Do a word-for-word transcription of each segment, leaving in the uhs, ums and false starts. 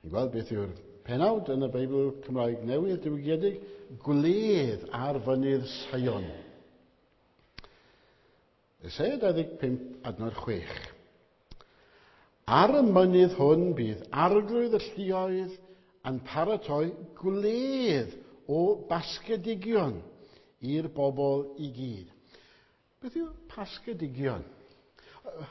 Chi'n gweld beth yw'r penawd yn y Beibl Cymraeg Newydd diwygiedig? Gwledd ar fynydd Seion. Eseia dau ddeg pump, adnod chwech. Ar y mynydd hwn bydd arglwydd y lluoedd yn paratoi gwledd o basgedigion i'r bobl i gyd. Beth yw pasgedigion?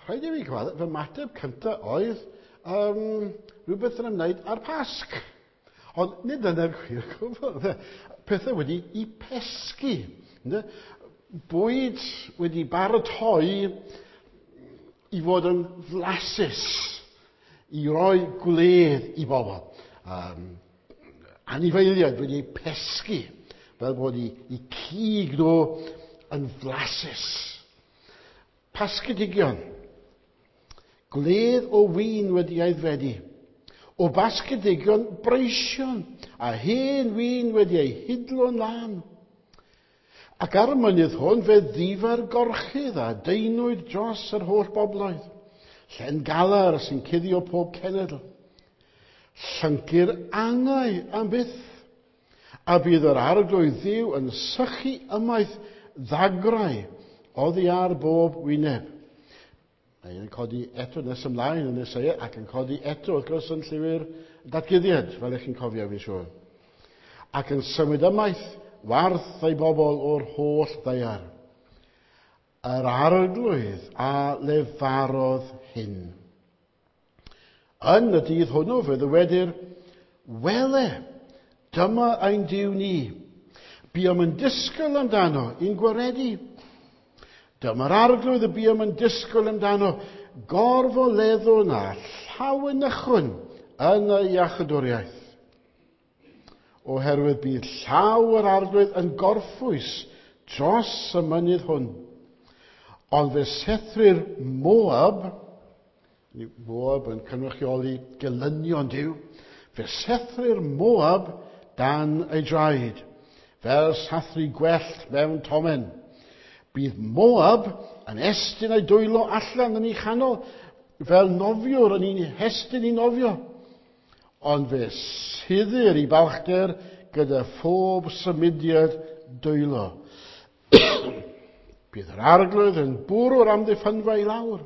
Rhaid i fi gweld, fy mateb cyntaf oedd um, rhywbeth yn ymwneud â'r Pasg. Ond nid dyna'r gwir gwbl. Pethau wedi i pesgi. Bwyd wedi baratoi i fod yn flasus, i roi gwledd i bobl. Um, anifeiliaid wedi eu pesgi, fel bod i, i cig nhw yn flasus. Pasgedigion. Gwledd o win wedi aeddfedu, o basgedigion breision, a hen win wedi ei hidlo'n lân. Ac ar y mynydd hwn fe ddifa'r gorchudd a deinwyd dros yr holl bobloedd. Llen galar sy'n cuddio pob cenedl. Llyncu'r angau am byth. A bydd yr arglwydd Dduw yn sychu ymaith ddagrau oddi ar bob wyneb. Mae yn codi eto nes ymlaen yn Eseia ac yn codi eto wrth gwrs yn llyfr datguddiad, fel ych chi'n cofio fi'n siŵr. Ac yn symud ymaith warth ei bobl o'r holl ddaear. Yr arglwydd a lefarodd hyn. Yn y dydd hwnnw fe ddywedir, wele, dyma ein Duw ni. Buom yn disgwyl amdano i'n gwaredu. Dyma'r arglwydd y buom yn disgwyl amdano, gorfoleddwn a llawenychwn yn y iachydwriaeth. Oherwydd bydd llaw yr arglwydd yn gorffwys dros y mynydd hwn. Ond fe sethrir Moab, Moab yn cynrychioli gelynion Duw, fe sethrir Moab dan ei draed, fel sathru gwellt mewn tomen. Bydd Moab yn estyn ei dwylo allan yn ei chanol, fel nofiwr yn ei hestyn i nofio. Ond fe suddir i balchder gyda phob symudiad dwylo. Bydd yr arglwydd yn bwrw'r amddiffynfa i lawr,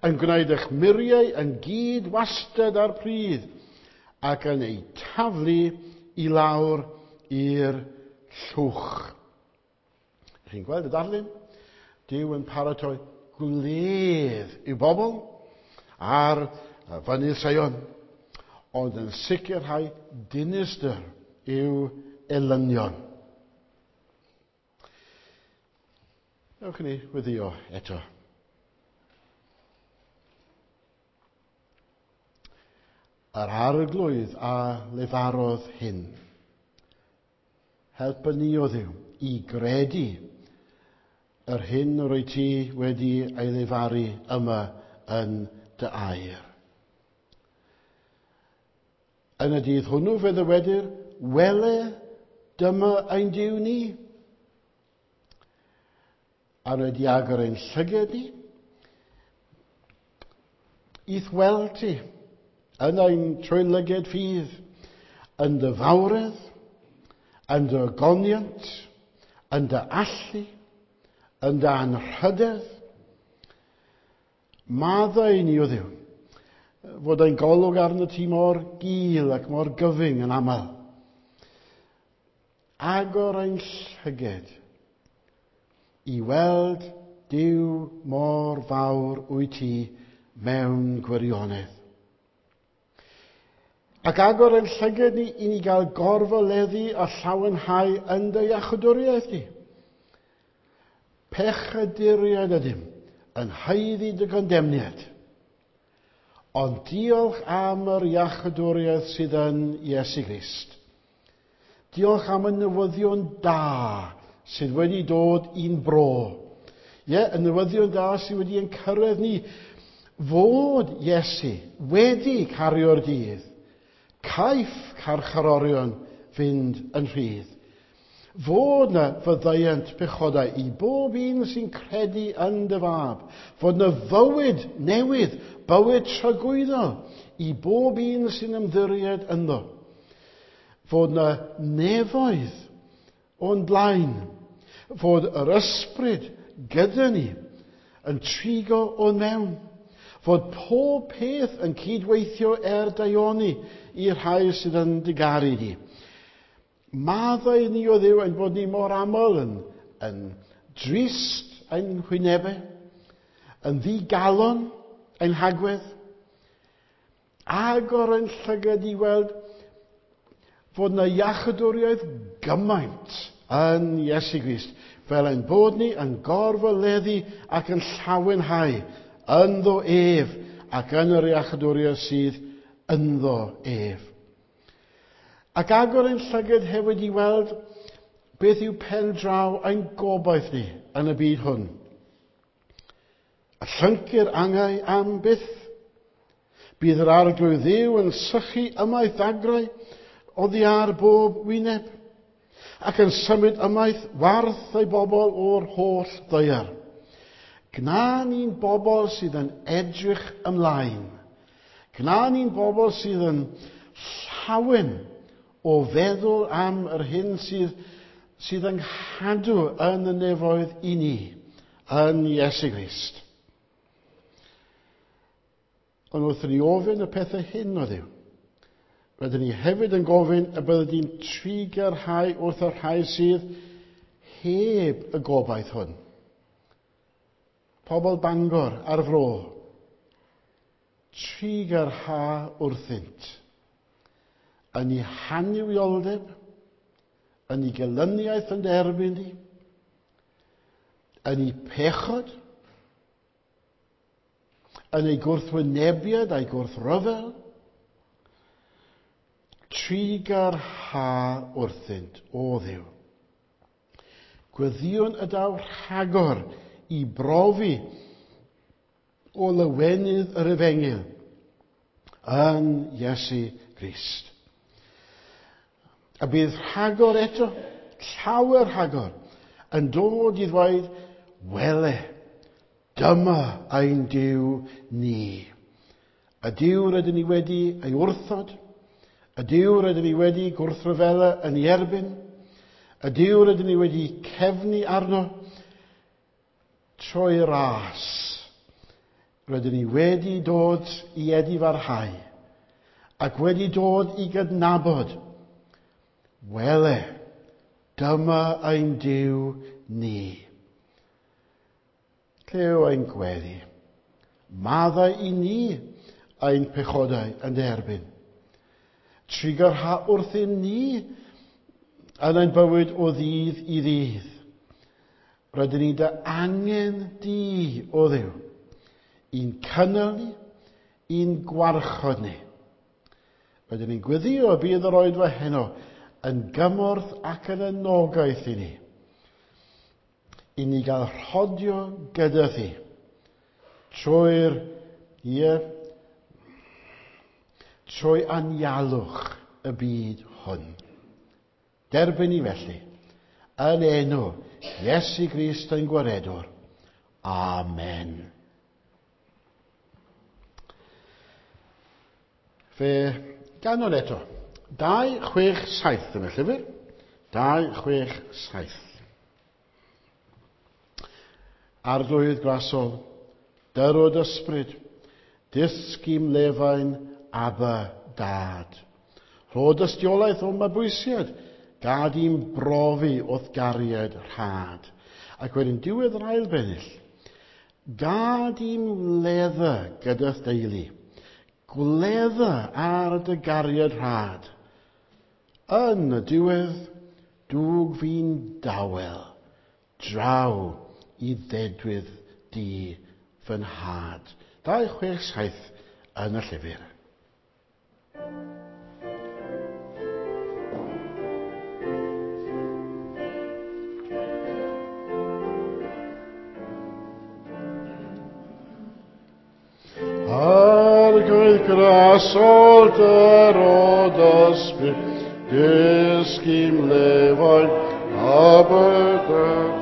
yn gwneud eich muriau yn gyd wastad ar pridd, ac yn ei taflu i lawr i'r llwch. Chi'n gweld y darlun? Duw yn paratoi gwledd i'w bobl ar fynydd Seion, ond yn sicrhau dinistr i'w elynion. Ewch ni weddio eto. Yr arglwydd a lefarodd hyn. Helpa ni o Dduw i gredu yr hyn rwyt ti wedi ei lefaru yma yn dy air. Yn y dydd hwnnw fe ddywedir, wele, dyma ein Duw ni. A wedi agor ein llyged ni, i'th weld ti, yn ein trwylyged ffydd, yn dy fawredd, yn dy ogoniant, yn dy allu, yn dy anrhydedd. Maddau ni o Dduw, fod ein golwg arno ti mor gul ac mor gyfyng yn aml. Agor ein llyged i weld Duw mor fawr wyt ti mewn gwirionedd. Ac agor ein llyged ni i ni gael gorfoleddu a llawenhau yn dy iachawdwriaeth di. Pechaduriaid ydym yn haeddu dy gondemniad. Ond diolch am yr iachawdwriaeth sydd yn Iesu Grist. Diolch am y newyddion da sydd wedi dod i'n bro. Ie, y newyddion da sydd wedi ein cyrraedd ni fod Iesu wedi cario'r dydd. Caiff carcharorion fynd yn rhydd. Fod na fyddaiant pechodau i bob un sy'n credu yn dy fab. Fod na fywyd newydd, bywyd tragwyddol i bob un sy'n ymddiried ynddo. Fod na nefoedd o'n blaen. Fod yr ysbryd gyda ni yn trigo o'n mewn. Fod pob peth yn cydweithio er daioni i'r rhai sydd yn dy garu di. Maddau ni o Dduw ein bod ni mor aml yn, yn drist ein hwynebau, yn ddigalon ein hagwedd, agor ein llygad i weld fod na iachydwriaeth gymaint yn Iesu Grist, fel ein bod ni yn gorfoleddu ac yn llawenhau ynddo ef ac yn yr iachydwriaeth sydd ynddo ef. Ac agor ein llygad hefyd i weld beth yw pen draw ein gobaith ni yn y byd hwn. A llyncu'r angau am byth. Bydd yr Arglwydd Dduw yn sychu ymaith ddagrau oddi ar bob wyneb, ac yn symud ymaith warth ei bobl o'r holl ddaear. Gna ni'n bobl sydd yn edrych ymlaen. Gna ni'n bobl sydd yn llawen o feddwl am yr hyn sydd, sydd yn nghadw yn y nefoedd i ni, yn Iesu Grist. Ond wrth i ni ofyn y pethau hyn o Dduw, rydyn ni hefyd yn gofyn y byddwn ni'n trugarhau wrth y rhai sydd heb y gobaith hwn. Pobl Bangor a'r fro, trugarha wrthynt yn ei hannuwioldeb, yn ei gelyniaeth yn derbyn di, yn ei pechod, yn ei gwrthwynebiad a'i gwrthryfel, trugarha wrthynt, o Dduw. Gweddïwn y daw rhagor i brofi o lawenydd yr efengyl yn Iesu Grist. A bydd rhagor eto, llawer rhagor, yn dod i ddweud, wele, dyma ein Duw ni. Y Duw rydyn ni wedi ei wrthod, y Duw rydyn ni wedi gwrthryfela yn ei erbyn, y Duw rydyn ni wedi cefnu arno, trwy ras, rydyn ni wedi dod i edifarhau, ac wedi dod i gydnabod, wele, dyma ein Duw ni. Clyw ein gweddi, maddau i ni ein pechodau yn derbyn. Trugarha wrthyn ni yn ein bywyd o ddydd i ddydd. Rydyn ni dy angen di, o Dduw, i'n cynnal ni, i'n gwarchod ni. Rydyn ni'n gweddio y bydd yr oedfa heno yn gymorth ac yn anogaeth i ni. I ni gael rhodio gyda thi trwy'r, ie, trwy anialwch y byd hwn. Derbyn ni felly, yn enw Iesu Grist ein Gwaredwr. Amen. Fe ganwn eto. Dau, chwech, saith yn y llyfr. Dau, chwech, saith. Arglwydd grasol, dyrod ysbryd, dysg i'm lefain Abba Dad. Rho dystiolaeth o mabwysiad, gad i'n brofi wrth gariad rhad. Ac wedyn diwedd yr ail bennill, gad i'n wledda gyda'r deulu, gwledda ar dy gariad rhad. Yn y diwedd, dwg fi'n dawel, draw i ddedwydd di fy nhad. Dau, chwech, saith yn y llyfr. Arglwydd grasol dyrod ysbryd, dysg i'm lefain, Aberdeen.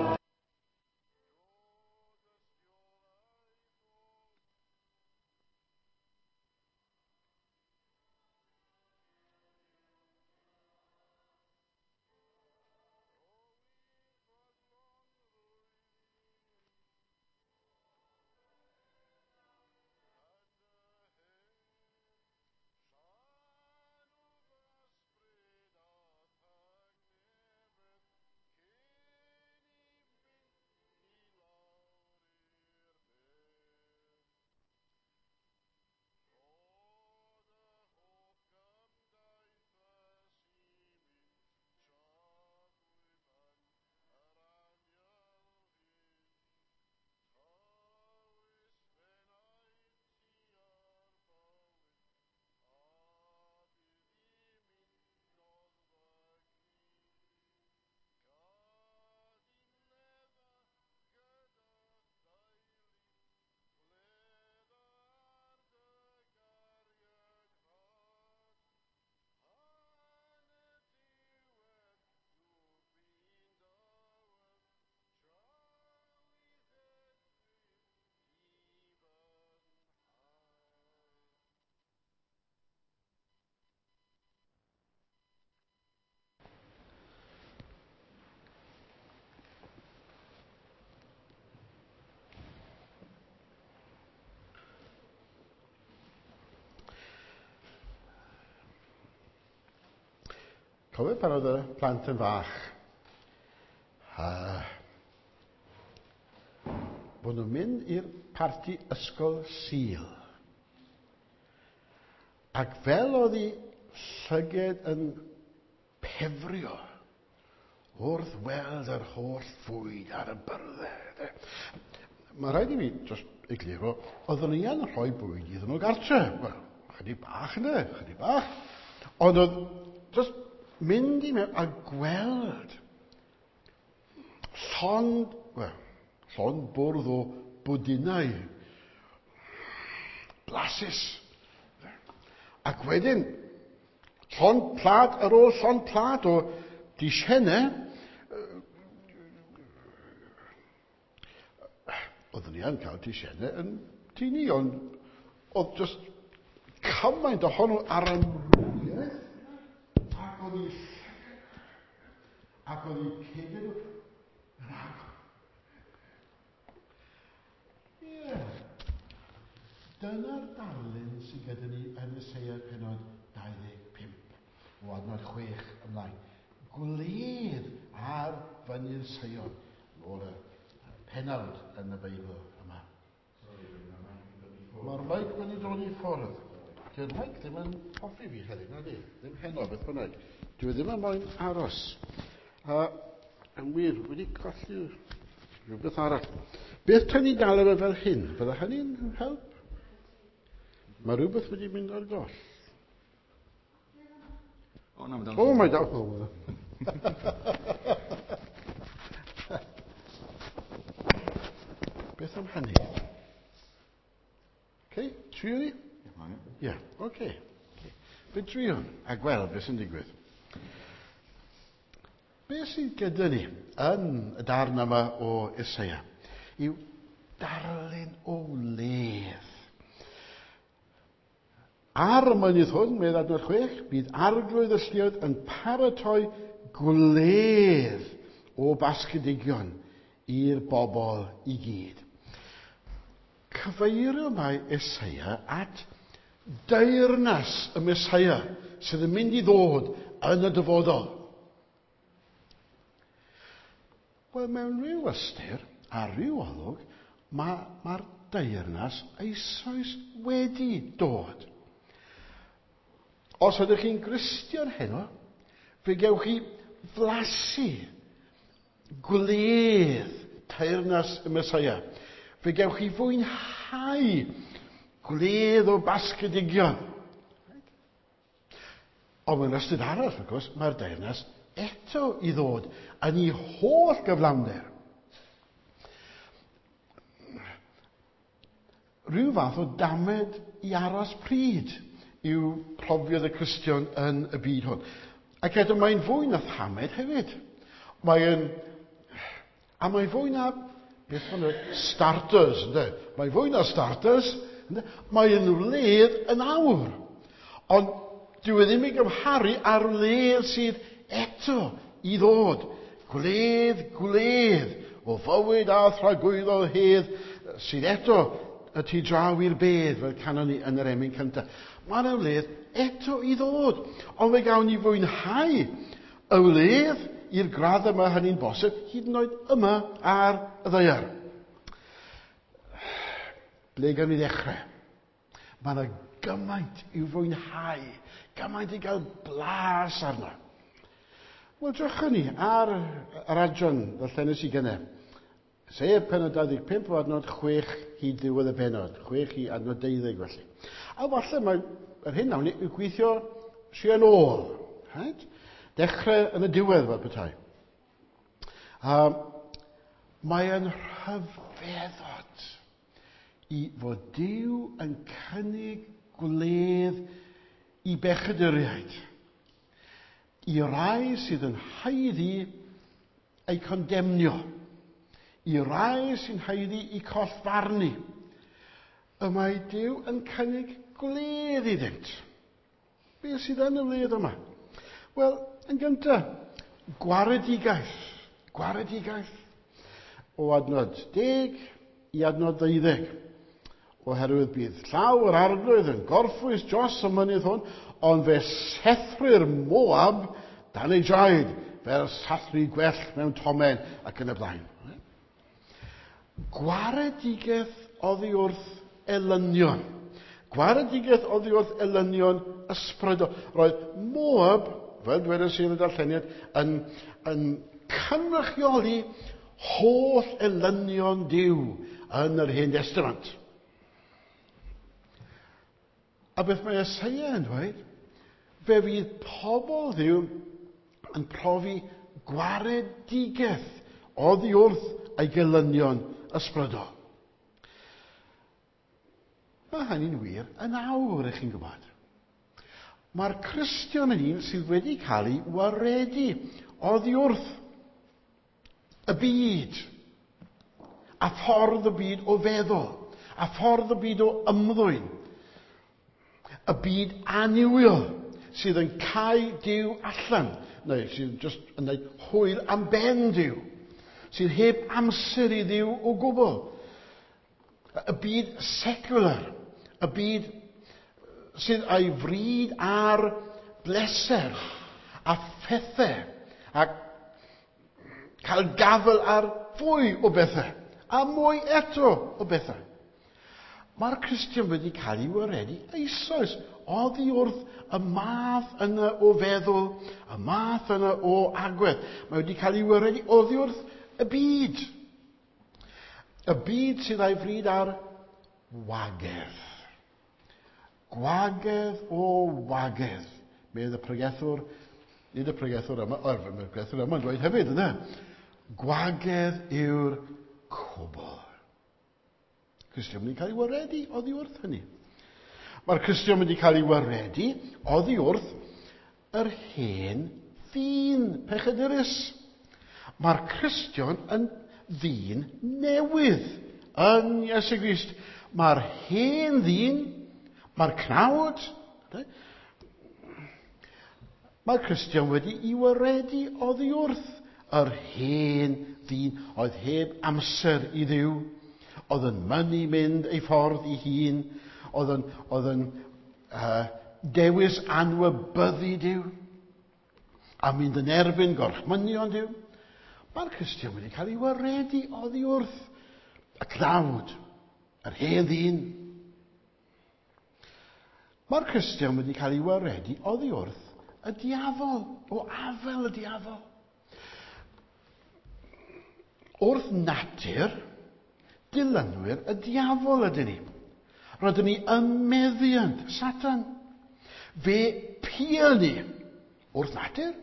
Cofio pan oedd y plant yn fach, uh, bod nhw'n mynd i'r parti ysgol Sul. Ac fel oedd ei llyged yn pefrio wrth weld yr holl fwyd ar y byrddau. Mae rhaid i fi just egluro, oeddwn i yn rhoi bwyd iddyn nhw gartre. Wel, chydig bach yna, chydig bach. Ond oedd just mynd i mewn a gweld llond, well, llond bwrdd o bwdinau blasus. Ac wedyn, llond plad ar ôl llond plad o disiennau, oeddwn ni yn cael disiennau yn tŷ ni, ond oedd just cymaint ohonno ar amrywiaeth. Ac oedd ei ac oedd ei cegau nhw yn agor. Ie. Dyna'r darlun sydd gyda ni yn Eseia penod dau ddeg pump o adnod chwech ymlaen. Gwledd ar fynydd Seion, yn ôl y penawd yn y Beibl yma. Mae'r meic wedi dod i ffwrdd. Dyw'r meic ddim yn hoffi fi heddiw, na di? Ddim heno, beth bynnag. Dwi ddim yn moyn aros. A, yn wir, wedi colli rhywbeth arall. Beth tan ni'n gael efo fel hyn? Fydda hynny'n help? Mae rhywbeth wedi mynd ar goll. O, na, mae dal. O, mae dal. Beth am hynny? Okay, trio ni? Ie, yeah, oce. Okay. Fe drio a gweld beth sy'n digwydd. Beth sydd gyda ni yn y darn yma o Eseia yw darlun o wledd. Ar y mynydd hwn, medd adnod chwech, bydd arglwydd y lluoedd yn paratoi gwledd o basgedigion i'r bobl i gyd. Cyfeirio mae Eseia at deyrnas y Meseia sydd yn mynd i ddod yn y dyfodol. Wel, mewn rhyw ystyr a rhyw olwg, mae'r ma deyrnas eisoes wedi dod. Os ydych chi'n Gristion heno, fe gewch chi flasu gwledd teyrnas y Meseia. Fe gewch chi fwynhau gwledd o basgedigion. Ond mewn ystyr arall, wrth gwrs, mae'r deyrnas eto i ddod yn ei holl gyflawnder. Rhyw fath o damed i aros pryd yw profiad y Cristion yn y byd hwn. Ac eto mae'n fwy na thamed hefyd, Mae'n... A mae fwy na... Beth maen nhw? Starters, ynddo? Mae fwy na starters. Ynddo? Mae'n wledd yn awr. Ond dyw e ddim i gymharu â'r wledd sydd eto i ddod. Gwledd, gwledd o fywyd a thragwyddol hedd sydd eto y tu draw i'r bedd, fel canon ni yn yr emyn cyntaf. Mae yna wledd eto i ddod. Ond fe gawn ni fwynhau y wledd i'r gradd yma hynny'n bosib, hyd yn oed yma ar y ddaear. Ble gawn ni ddechrau? Mae yna gymaint i'w fwynhau, gymaint i gael blas arno. Wel, drychwn ni ar yr adran ddarllenes i gynne. Sef pennod dau ddeg pump o adnod chwech hyd ddiwedd y bennod, chwech i adnod deuddeg felly. A falle mae yr hyn nawn ni yw gweithio yn ôl. Right? Dechrau yn y diwedd fel petai. Um, mae yn rhyfeddod i fod Duw yn cynnig gwledd i bechaduriaid, i rai sydd yn haeddu eu condemnio, i rai sy'n haeddu eu collfarnu. Y mae Duw yn cynnig gwledd iddynt. Beth sydd yn y wledd yma? Wel, yn gyntaf, gwaredigaeth. Gwaredigaeth. O adnod deg i adnod ddeuddeg. Oherwydd bydd llaw yr Arglwydd yn gorffwys dros y mynydd hwn, ond fe sethrir Moab dan ei draed, fel sathru gwellt mewn tomen ac yn y blaen. Gwaredigaeth oddi wrth elynion. Gwaredigaeth oddi wrth elynion ysbrydol. Roedd Moab, fel dwedais i yn y darlleniad, yn, yn cynrychioli holl elynion Duw yn yr Hen Destament. A beth mae Eseia yn dweud, fe fydd pobl Dduw yn profi gwaredigaeth oddi wrth ei gelynion ysbrydol. Mae hynny'n wir yn awr, ych chi'n gwybod. Mae'r Cristion yn un sydd wedi cael ei waredu oddi wrth y byd, a ffordd y byd o feddwl, a ffordd y byd o ymddwyn, y byd annuwiol sydd yn cau Duw allan, neu sydd just yn gwneud hwyl am ben Duw, sydd heb amser i Dduw o gwbl. Y byd secular, y byd sydd â'i fryd ar bleser a phethau, a cael gafel ar fwy o bethau, a mwy eto o bethau. Mae'r Cristion wedi cael ei waredu eisoes oddi wrth y math yna o feddwl, y math yna o agwedd. Mae wedi cael ei waredu oddi wrth y byd. Y byd sydd â'i fryd ar wagedd. Gwagedd o wagedd. Medd y pregethwr, nid y pregethwr yma, o, mae'r pregethwr yma'n dweud hefyd, yna. Gwagedd yw'r cwbl. Cristion wedi cael ei waredu oddi wrth hynny. Mae'r Cristion wedi cael ei waredu oddi wrth yr hen ddyn pechadurus. Mae'r Cristion yn ddyn newydd yn Iesu Grist. Mae'r hen ddyn, mae'r cnawd, mae'r Cristion wedi ei waredu oddi wrth yr hen ddyn oedd heb amser i Dduw, oedd yn mynnu mynd ei ffordd ei hun, oedd yn, oedd yn uh, dewis anwybyddu Duw, a mynd yn erbyn gorchmynion Duw. Mae'r Cristion wedi cael ei waredu oddi wrth y cnawd, yr hen ddyn. Mae'r Cristion wedi cael ei waredu oddi wrth y diafol, o afel y diafol. Wrth natur, dilynwyr y diafol ydyn ni. Rydyn ni ym meddiant Satan. Fe pil ni wrth natur.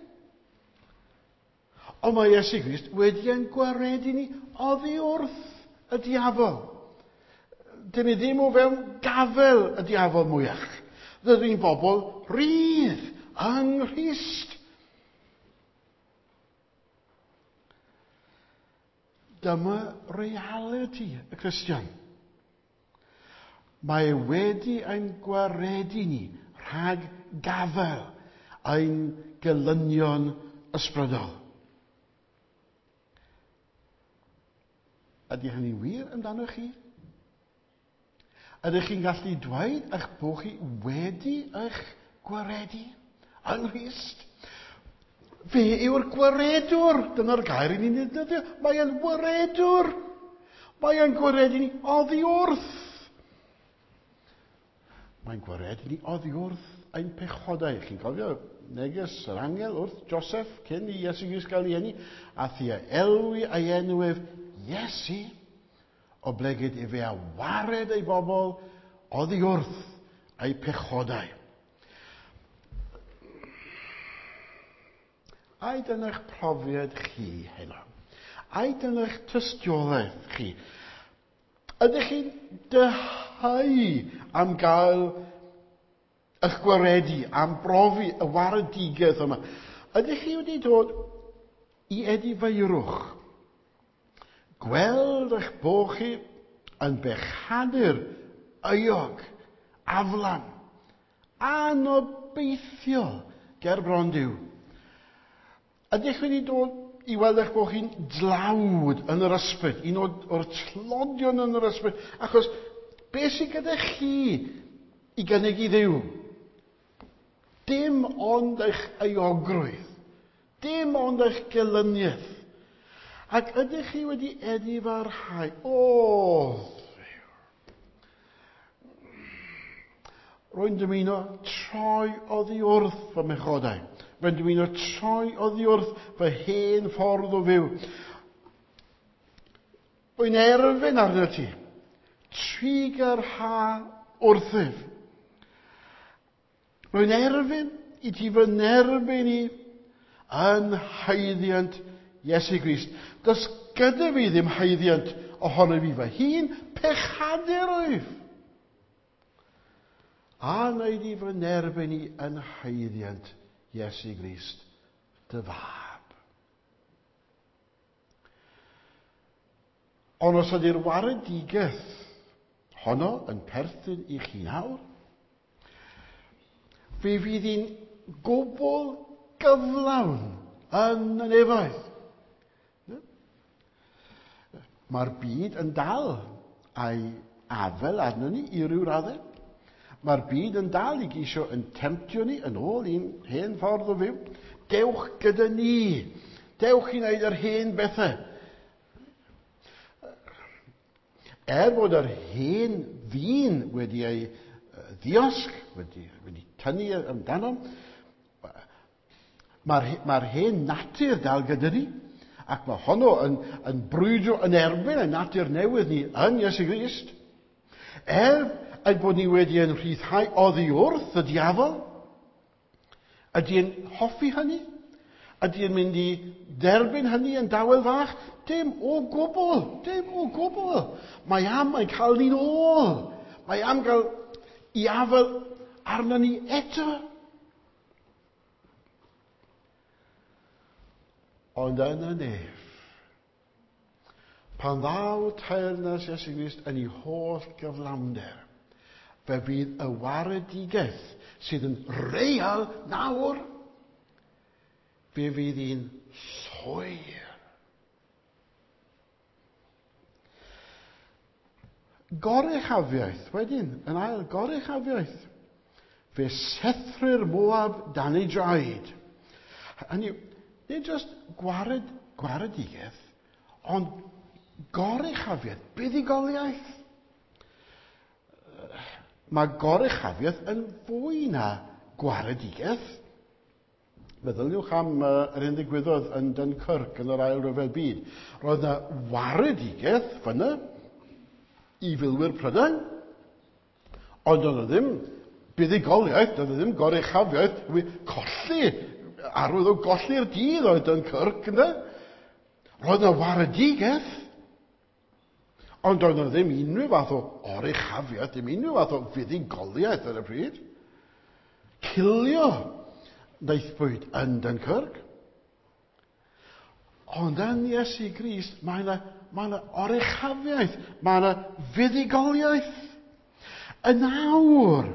Ond mae Iesu Grist wedi ein gwaredu ni oddi wrth y diafol. Dyn ni ddim o fewn gafel y diafol mwyach. Rydyn ni'n bobl rydd yng Nghrist. Dyma realiti y Cristion. Mae wedi ein gwaredu ni rhag gafael ein gelynion ysbrydol. Ydy hynny'n wir amdano chi? Ydych chi'n gallu dweud eich bod chi wedi eich gwaredu yng Nghrist? Fe yw'r gwaredwr. Dyna'r gair i ni'n ddefnyddio. Mae e'n waredwr. Mae e'n gwaredu ni oddi wrth. Mae'n gwaredu ni oddi wrth ein pechodau. Chi'n cofio neges yr angel wrth Joseph cyn i Iesu Grist gael ei eni, a thia elwi ei enw ef Iesu, oblegid efe a wared ei bobl oddi wrth ei pechodau. Ai dyna'ch profiad chi heno? Ai dyna'ch tystiolaeth chi? Ydych chi'n dyheu am gael eich gwaredu, am brofi y waredigaeth yma? Ydych chi wedi dod i edifeirwch? Gweld eich bod chi yn bechadur, euog, aflan, anobeithiol ger bron Duw. Ydych wedi dod i weld eich bod chi'n dlawd yn yr ysbryd, un o'r tlodion yn yr ysbryd, achos beth sydd gyda chi i gynnig i Dduw? Dim ond eich euogrwydd, dim ond eich gelyniaeth. Ac ydych chi wedi edifarhau? O, rwy'n dymuno troi oddi wrth fy mhechodau. Rwy'n dymuno troi oddi wrth fy hen ffordd o fyw. Rwy'n erfyn arno ti. Trugarha wrthyf. Rwy'n erfyn i ti fy nerbyn i yn haeddiant Iesu Grist. Does gyda fi ddim haeddiant ohono fi fy hun, pechadur wyf. A wneud i fy nerbyn i yn haeddiant Iesu Grist, dy fab. Ond os ydy'r waredigaeth honno yn perthyn i chi nawr, fe fydd hi'n gwbl gyflawn yn y nefoedd. Mae'r byd yn dal a'i afel arno ni i ryw raddau. Mae'r byd yn dal i geisio yn temtio ni yn ôl i'n hen ffordd o fyw. Dewch gyda ni. Dewch i wneud yr hen bethau. Er bod yr hen ddyn wedi ei ddiosg, wedi, wedi tynnu amdano, mae'r, mae'r hen natur dal gyda ni, ac mae honno yn, yn brwydro yn erbyn y natur newydd ni yn Iesu Grist. Er ein bod ni wedi ein rhyddhau oddi wrth y diafol, ydy e'n hoffi hynny? Ydy e'n mynd i derbyn hynny yn dawel fach? Dim o gwbl, dim o gwbl. Mae am yn cael ni'n ôl. Mae am gael i afel arno ni eto. Ond yn y nef, pan ddaw teyrnas Iesu Grist yn ei holl gyflawnder, fe fydd y waredigaeth sydd yn real nawr, fe fydd hi'n llwyr. Goruchafiaeth, wedyn, yn ail, goruchafiaeth. Fe sethrir Moab dan ei draed. Hynny yw, nid jyst gwared, gwaredigaeth, ond goruchafiaeth, buddugoliaeth. Mae goruchafiaeth yn fwy na gwaredigaeth. Meddyliwch am uh, yr hyn ddigwyddodd yn Dunkirk yn yr Ail Ryfel Byd. Roedd yna waredigaeth fyna i filwyr Prydain, ond oedd ddim buddugoliaeth, doedd ddim goruchafiaeth, colli, arwydd o golli'r dydd oedd Dunkirk, ynde? Roedd yna waredigaeth, ond doedd yna ddim unrhyw fath o oruchafiaeth, ddim unrhyw fath o fuddugoliaeth ar y pryd. Cilio wnaethpwyd yn Dunkirk. Ond yn Iesu Grist, mae yna, mae yna oruchafiaeth, mae yna fuddugoliaeth. Yn awr,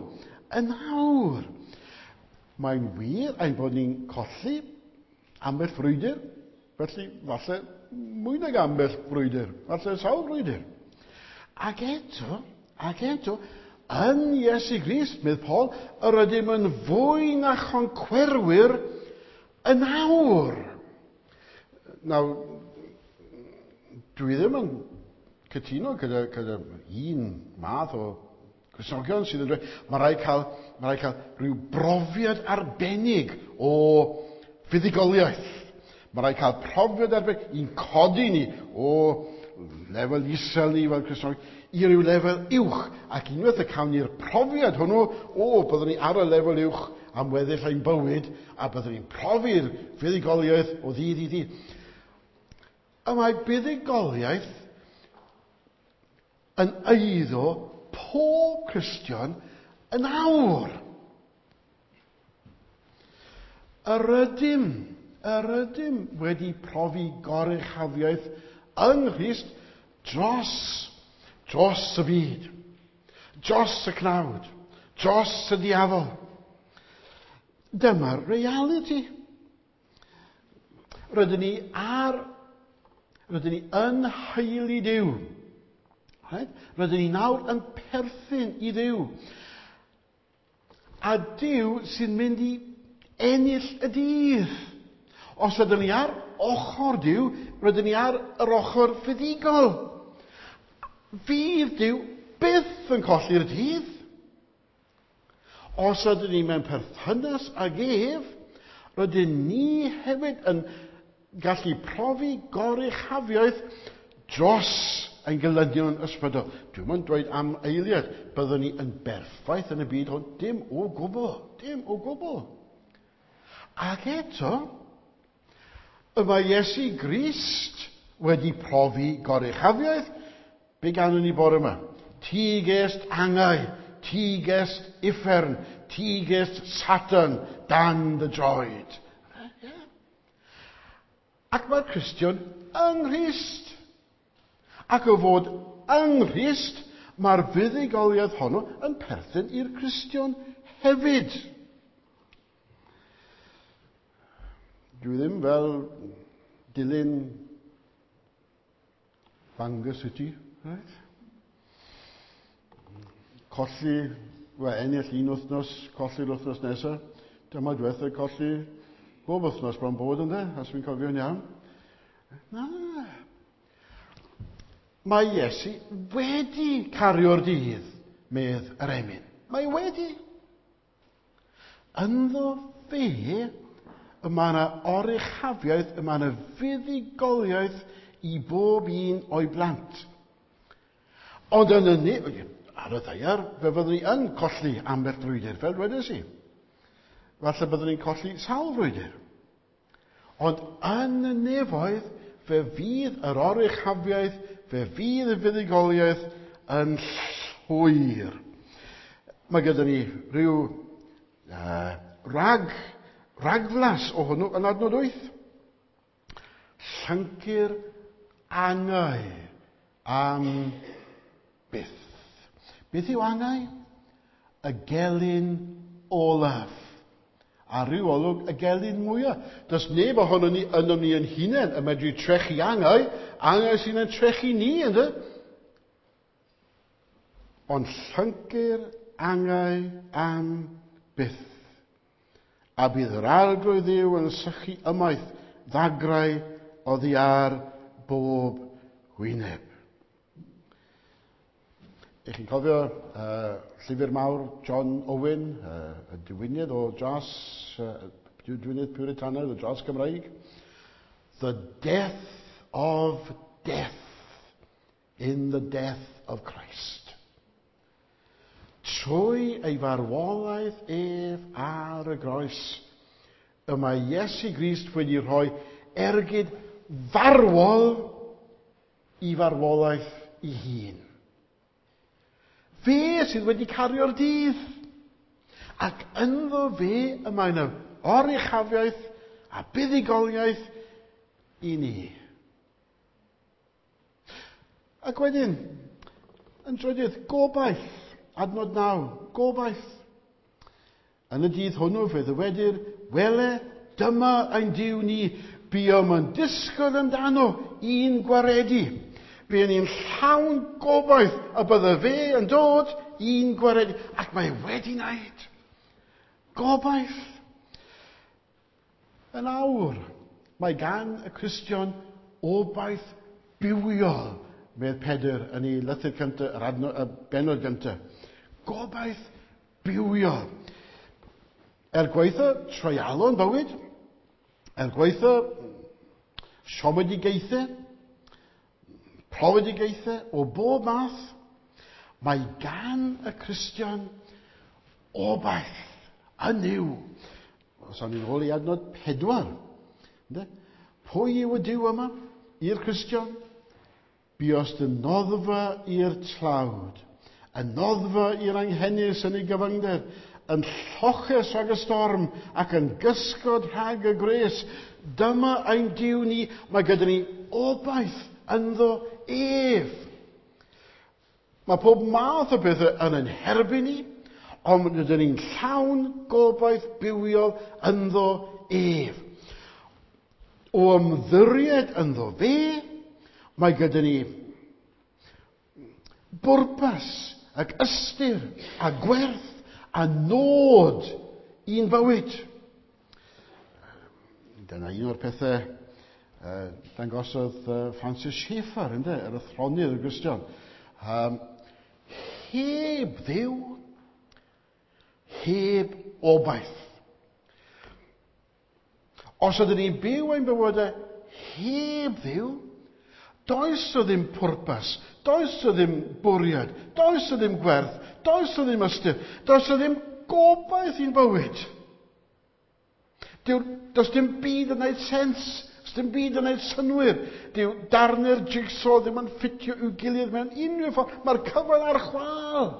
yn awr. Mae'n wir ein bod ni'n colli ambell frwydr, felly falle mwy nag ambell frwydr, falle sawl frwydr. Ac eto, ac eto, yn Iesu Grist, medd Paul, yr ydym yn fwy na choncwerwyr yn awr. Nawr, dwi ddim yn cytuno gyda, gyda un math o Cristnogion sydd yn dweud, mae rhaid cael, mae rhaid cael rhyw brofiad arbennig o fuddugoliaeth. Mae rhaid cael profiad arbennig i'n codi ni o lefel isel ni fel Cristnogion i ryw lefel uwch. Ac unwaith y cawn ni'r profiad hwnnw, o, byddwn ni ar y lefel uwch am weddill ein bywyd, a byddwn ni'n profi'r fuddugoliaeth o ddydd i ddydd. A mae buddugoliaeth yn eiddo pob Cristion yn awr. Yr ydym, yr ydym wedi profi goruchafiaeth yng Nghrist dros, dros y byd, dros y cnawd, dros y diafol. Dyma'r realiti. Rydyn ni ar, rydyn ni yn haelu Duw. Right? Rydyn ni nawr yn perthyn i Dduw. A Duw sy'n mynd i ennill y dydd. Os ydyn ni ar ochr Duw, rydyn ni ar yr ochr fuddugol. Fydd Duw byth yn colli'r dydd. Os ydyn ni mewn perthynas ag ef, rydyn ni hefyd yn gallu profi goruchafiaeth dros ein gelynion ysbrydol. Dwi'm yn dweud am eiliad, byddwn ni yn berffaith yn y byd hwn. Dim o gwbl, dim o gwbl. Ac eto, y mae Iesu Grist wedi profi goruchafiaeth. Be ganwn ni bore yma? Ti gest angau, ti gest uffern, ti gest Satan dan dy droed. Ac mae'r Cristion yng Nghrist. Ac o fod yng Nghrist, mae'r fuddugoliaeth honno yn perthyn i'r Cristion hefyd. Dwi ddim fel dilyn Bangor City, right? Colli, wel, ennill un wythnos, colli'r wythnos nesaf. Dyma diwetha colli bob wythnos bron bod ynddo, os fi'n cofio'n iawn. Na. Mae Iesu wedi cario'r dydd, medd yr emyn. Mae wedi. Ynddo fe, y mae yna oruchafiaeth, y mae yna fuddugoliaeth i bob un o'i blant. Ond yn y, ar y ddaear, fe fyddwn ni yn colli ambell frwydr, fel dwedes i. Falle byddwn ni'n colli sawl frwydr. Ond yn y nefoedd, fe fydd yr oruchafiaeth, fe fydd y fuddugoliaeth yn llwyr. Mae gyda ni rhyw uh, rag, ragflas o hwnnw yn adnod wyth. Llyncu'r angau am byth. Beth yw angau? Y gelyn olaf. A rhyw olwg y gelyn mwyaf. Does neb ohono ni ynom ni yn hunain yn medru trechu angau. Angau sy'n yn trechu ni, ynddo? Ond llyncu'r angau am byth. A bydd yr Arglwydd Dduw yn sychu ymaith ddagrau oddi ar bob wyneb. Ych chi'n cofio uh, llyfr mawr John Owen, uh, y diwynydd o dras, uh, diwynydd Puritanaidd o dras Cymraeg? The death of death in the death of Christ. Trwy ei farwolaeth ef ar y groes, y mae Iesu Grist wedi rhoi ergyd farwol i farwolaeth ei hun. Fe sydd wedi cario'r dydd. Ac ynddo fe y mae yna oruchafiaeth a buddugoliaeth i ni. Ac wedyn, yn drydydd, gobaith, adnod naw, gobaith. Yn y dydd hwnnw fe ddywedir, wele, dyma ein Duw ni, buom yn disgwyl amdano i'n gwaredu. Buon ni'n llawn gobaith y bydde fe yn dod i'n gwaredu. Ac mae wedi wneud. Gobaith. Yn awr, mae gan y Cristion obaith bywiol, medd Pedr yn ei lythyr cyntaf, yr adno, y bennod gyntaf. Gobaith bywiol. Er gwaetha treialon bywyd, er gwaetha siomedigaethau, profedigaethau o bob math, mae gan y Cristion obaith yn Nuw. Os awn ni'n ôl i adnod pedwar. Ynde? Pwy yw y Duw yma i'r Cristion? Buost yn noddfa i'r tlawd, yn noddfa i'r anghenus yn ei gyfyngder, yn lloches rhag y storm ac yn gysgod rhag y gwres. Dyma ein Duw ni, mae gyda ni obaith ynddo ef. Mae pob math o bethau yn ein herbyn ni, ond rydyn ni'n llawn gobaith bywiol ynddo ef. O ymddiried ynddo fe, mae gyda ni bwrpas ac ystyr a gwerth a nod i'n bywyd. Dyna un o'r pethau uh, dangosodd uh, Francis Schaeffer, ynde, yr athronydd y Gristion. Um, heb Dduw, heb obaith. Os ydyn ni'n byw ein bywydau heb Dduw, does o ddim pwrpas, does o ddim bwriad, does o ddim gwerth, does o ddim ystyr, does o ddim gobaith i'n bywyd. Dyw, does dim byd yn gwneud sens, does dim byd yn gwneud synwyr. Dyw darnau'r jigsaw ddim yn ffitio i'w gilydd mewn unrhyw ffordd. Mae'r cyfan ar chwâl.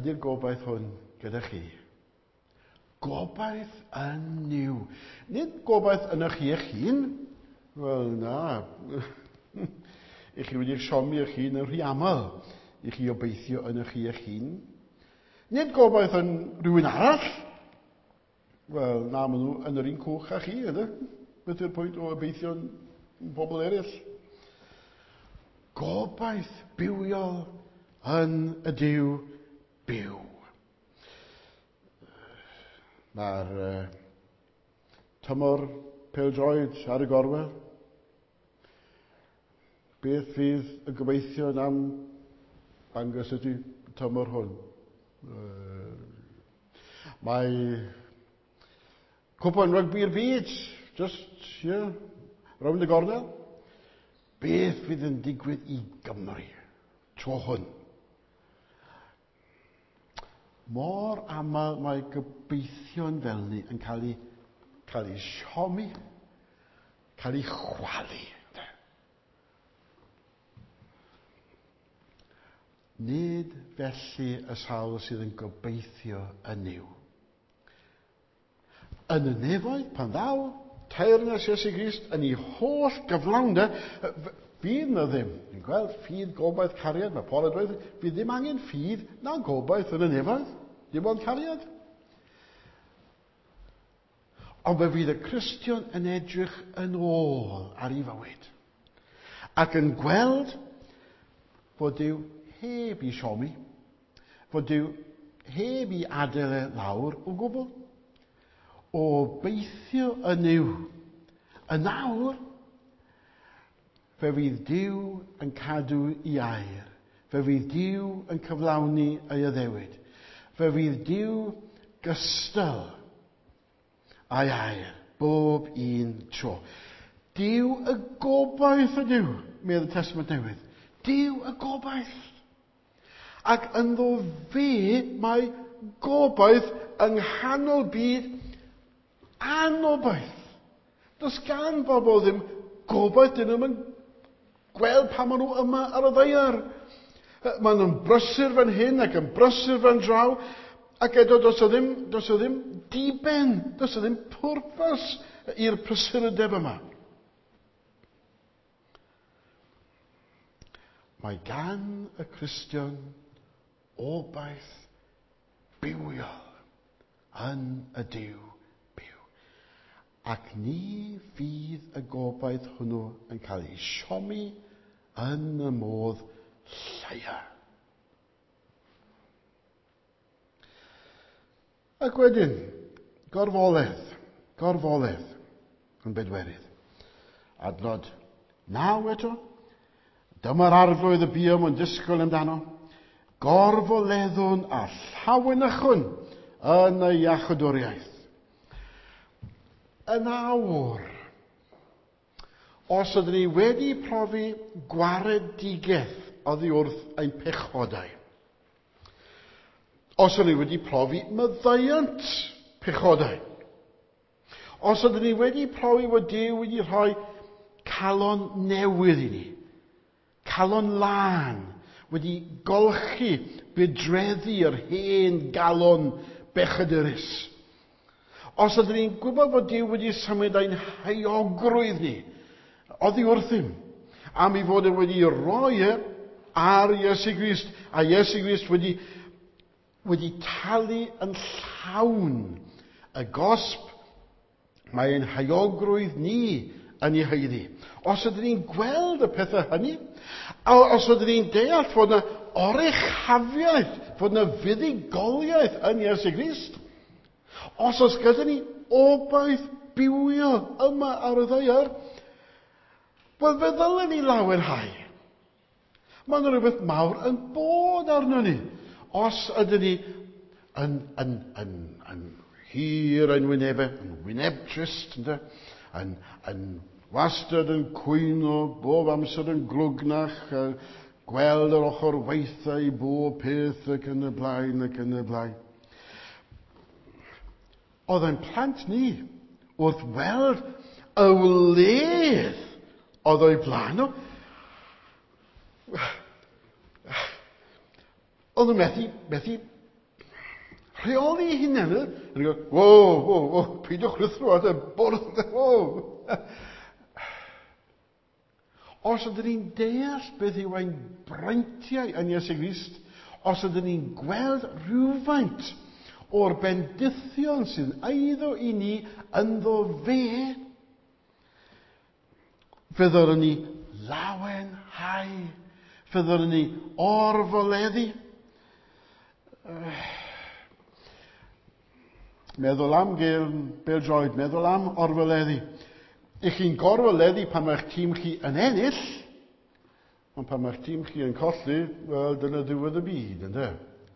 Ydy'r gobaith hwn gyda chi? Gobaith yn Nuw. Nid gobaith yn eich eich hun. Wel, na. I chi wedi siomi eich hun yn rhy aml. I chi obeithio yn eich eich hun. Nid gobaith yn rhywun arall. Wel, na, maen nhw yn yr un cwch â chi, ydy? Beth yw'r pwynt o obeithio yn pobl eraill? Gobaith bywiol yn y Duw byw. Mae'r uh, tymor pêl-droed ar y gorwel. Beth fydd y gobeithion am Bangor City tymor hwn? Uh, mae cwpan rygbi'r byd, just, yeah, rownd y gornel. Beth fydd yn digwydd i Gymru tro hwn? Mor aml mae gobeithion fel ni yn cael ei, cael ei siomi, cael ei chwalu. Nid felly y sawl sydd yn gobeithio yn Nuw. Yn y nefoedd, pan ddaw teyrnas Iesu Grist yn ei holl gyflawnder, fydd na ddim. Ni'n gweld ffydd, gobaith, cariad. Mae Paul yn dweud, fydd ddim angen ffydd na gobaith yn y nefoedd. Dim ond cariad. Ond fe fydd y Cristion yn edrych yn ôl ar ei fywyd. Ac yn gweld fod Duw heb i siomi, fod Duw heb i adael e lawr o gwbl. O beithio yn Nuw. Yn awr, fe fydd Duw yn cadw ei air. Fe fydd Duw yn cyflawni ei addewid. Fe fydd Duw gystal a'i air bob un tro. Duw y gobaith ydyw, medd y Testament Newydd. Duw y gobaith. Ac ynddo fe mae gobaith yng nghanol byd anobaith. Does gan bobl ddim gobaith, dyn nhw'n gweld pa maen nhw yma ar y ddaear. Maen nhw'n brysur fan hyn ac yn brysur fan draw, Ac eto, does o ddim, does o ddim diben, does o ddim pwrpas i'r prysurdeb yma. Mae gan y Cristion obaith bywiol yn y Duw byw. Ac ni fydd y gobaith hwnnw yn cael ei siomi yn y modd lleia. Ac wedyn, gorfoledd, gorfoledd yn bedwerydd. Adnod naw eto. Dyma'r arglwydd y buom yn disgwyl amdano. Gorfoleddwn a llawenychwn yn y iachawdwriaeth. Yn awr, os ydyn ni wedi profi gwaredigaeth oddi wrth ein pechodau, os ydyn ni wedi profi maddeuant pechodau, os ydyn ni wedi profi fod Duw wedi rhoi calon newydd i ni, calon lân, wedi golchi budreddi yr hen galon bechadurus. Os ydyn ni'n gwybod fod Duw wedi symud ein heuogrwydd ni oddi wrthym, am ei fod e wedi roi e ar Iesu Grist, a Iesu Grist wedi, wedi talu yn llawn y gosb mae ein heuogrwydd ni yn ei haeddu. Os ydyn ni'n gweld y pethau hynny, a os ydyn ni'n deall fod yna oruchafiaeth, fod yna fuddugoliaeth yn Iesu Grist, os oes gyda ni obaith bywiol yma ar y ddaear, wel fe ddylen ni lawenhau. Mae yna rhywbeth mawr yn bod arno ni. Os ydyn ni yn, yn, yn, yn hir ein wynebau, yn wyneb trist, ynde? Yn, yn wastad yn cwyno, bob amser yn glwgnach, gweld yr ochr weitha i bob peth ac yn y blaen ac yn y blaen. Oedd ein plant ni wrth weld y wledd oedd o'i blaen nhw. Oedd nhw'n methu, methu rheoli eu hunain. Yn go, wo, wo, wo, peidiwch rhuthro at y bwrdd, wo. Os ydyn ni'n deall beth yw ein breintiau yn Iesu Grist, os ydyn ni'n gweld rhywfaint o'r bendithion sydd eiddo i ni ynddo fe, fe ddylwn ni lawenhau, fe ddylwn ni orfoleddu. Meddwl am gael bêl-droed, meddwl am orfoleddu. Ych chi'n gorfoleddu pan mae'ch tîm chi yn ennill, ond pan mae'ch tîm chi yn colli, wel, dyna ddiwedd y byd, ynde?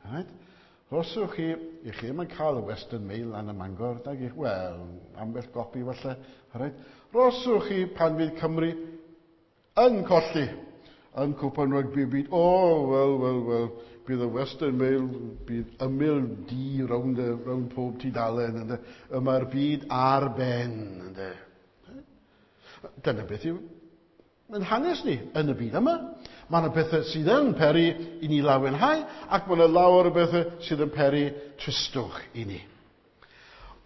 Right? Rhoswch chi, i chi ddim yn cael y Western Mail lan ym Mangor, nag i, wel, ambell gopi falle, right? Rhoswch chi pan fydd Cymru yn colli yn Cwpan Rygbi y Byd. O, oh, wel, wel, wel, bydd y Western Mail, bydd ymyl di rownd, rownd pob tudalen, ynde? Y mae'r byd ar ben, ynde? Dyna beth yw yn hanes ni yn y byd yma. Mae yna bethau sydd yn peri i ni lawenhau, ac mae yna lawer o bethau sydd yn peri tristwch i ni.